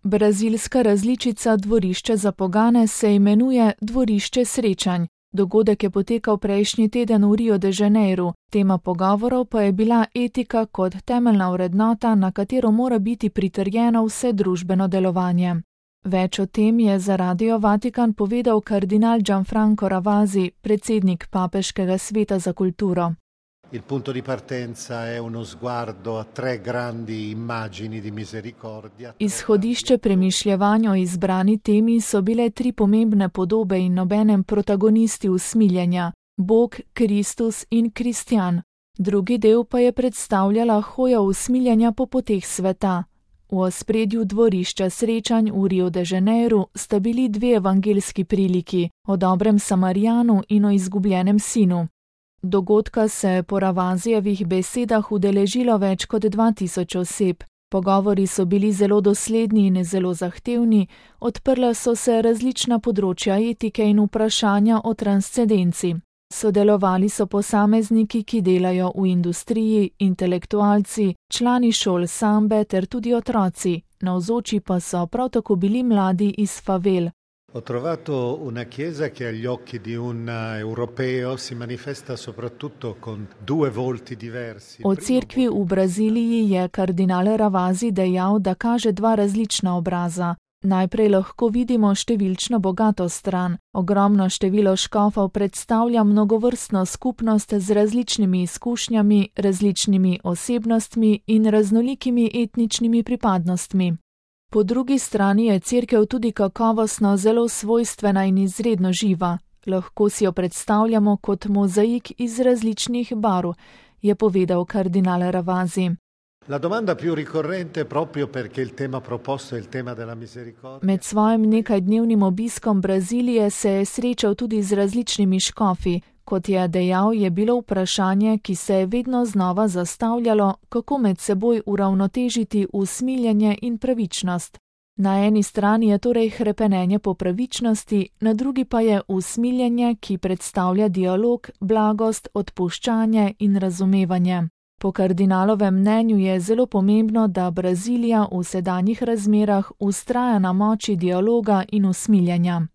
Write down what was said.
Brazilska različica dvorišča za pogane se imenuje Dvorišče srečanj. Dogodek je potekal prejšnji teden v Rio de Janeiro, tema pogovorov pa je bila etika kot temeljna vrednota, na katero mora biti pritrjeno vse družbeno delovanje. Več o tem je za Radio Vatikan povedal kardinal Gianfranco Ravasi, predsednik Papeškega sveta za kulturo. Il punto di partenza è uno sguardo a tre grandi immagini di misericordia. Izhodišče premišljevanj o izbrani temi so bile tri pomembne podobe in nobenem protagonisti usmiljenja: Bog, Kristus in Kristjan. Drugi del pa je predstavljala hojo usmiljenja po poteh sveta. V ospredju dvorišča srečanj v Rio de Janeiro sta bili dve evangeljski priliki, o dobrem Samarijanu in o izgubljenem sinu. Dogodka se je po Ravasijevih besedah udeležilo več kot 2000 oseb. Pogovori so bili zelo dosledni in zelo zahtevni, odprla so se različna področja etike in vprašanja o transcendenci. Sodelovali so posamezniki, ki delajo v industriji, intelektualci, člani šol sambe ter tudi otroci, navzoči pa so prav tako bili mladi iz favel. Ho trovato una chiesa che agli occhi di un europeo si manifesta soprattutto con due volti diversi. O cerkvi v Braziliji je kardinal Ravasi dejal, da kaže dva različna obraza. Najprej lahko vidimo številčno bogato stran. Ogromno število škofov predstavlja mnogovrstno skupnost z različnimi izkušnjami, različnimi osebnostmi in raznolikimi etničnimi pripadnostmi. Po drugi strani je cerkev tudi kakovostno zelo svojstvena in izredno živa. Lahko si jo predstavljamo kot mozaik iz različnih barv, je povedal kardinal Ravasi. La domanda più ricorrente proprio perché il tema proposto è il tema della misericordia. Med svojim nekajdnevnim obiskom Brazilije se je srečal tudi z različnimi škofi. Kot je dejal, je bilo vprašanje, ki se je vedno znova zastavljalo, kako med seboj uravnotežiti usmiljenje in pravičnost. Na eni strani je torej hrepenenje po pravičnosti, na drugi pa je usmiljenje, ki predstavlja dialog, blagost, odpuščanje in razumevanje. Po kardinalovem mnenju je zelo pomembno, da Brazilija v sedanjih razmerah vztraja na moči dialoga in usmiljenja.